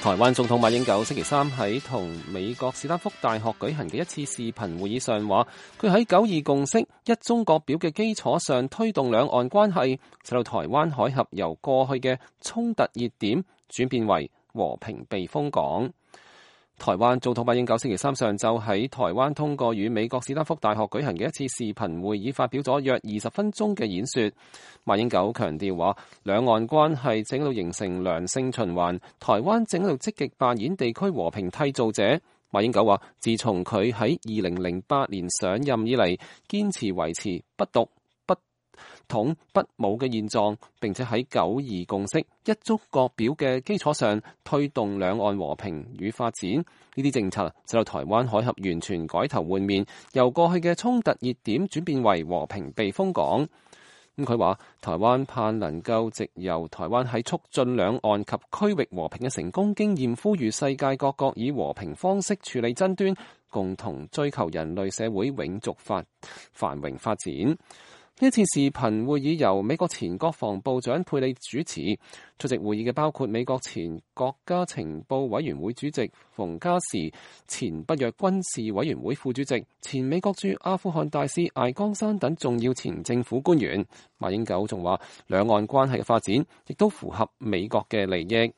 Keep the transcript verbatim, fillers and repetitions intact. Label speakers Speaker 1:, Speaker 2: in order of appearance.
Speaker 1: 台灣總統馬英九星期三喺同美國史丹福大學舉行嘅一次視頻會議上話，佢喺九二共識、一中各表嘅基礎上推動兩岸關係，使到台灣海峽由過去嘅衝突熱點轉變為和平避風港。台灣總統馬英九星期三上晝喺台灣通過與美國史丹福大學舉行嘅一次視頻會議，發表咗約二十分鐘嘅演說。馬英九強調話，兩岸關係正喺度形成良性循環，台灣正喺度積極扮演地區和平締造者。馬英九話，自從佢喺二零零八年上任以嚟，堅持維持不獨、不統、不武嘅現狀，並且喺九二共識、一中各表嘅基礎上推動兩岸和平與發展。呢啲政策使到台灣海峽完全改頭換面，由過去嘅衝突熱點轉變為和平避風港。咁佢話，台灣盼能夠藉由台灣喺促進兩岸及區域和平嘅成功經驗，呼籲世界各國以和平方式處理爭端，共同追求人類社會永續發繁榮發展。呢次視頻會議由美國前國防部長佩里主持，出席會議嘅包括美國前國家情報委員會主席馮嘉時、前北約軍事委員會副主席、前美國駐阿富汗大使艾江山等重要前政府官員。馬英九仲話，兩岸關係嘅發展亦都符合美國嘅利益。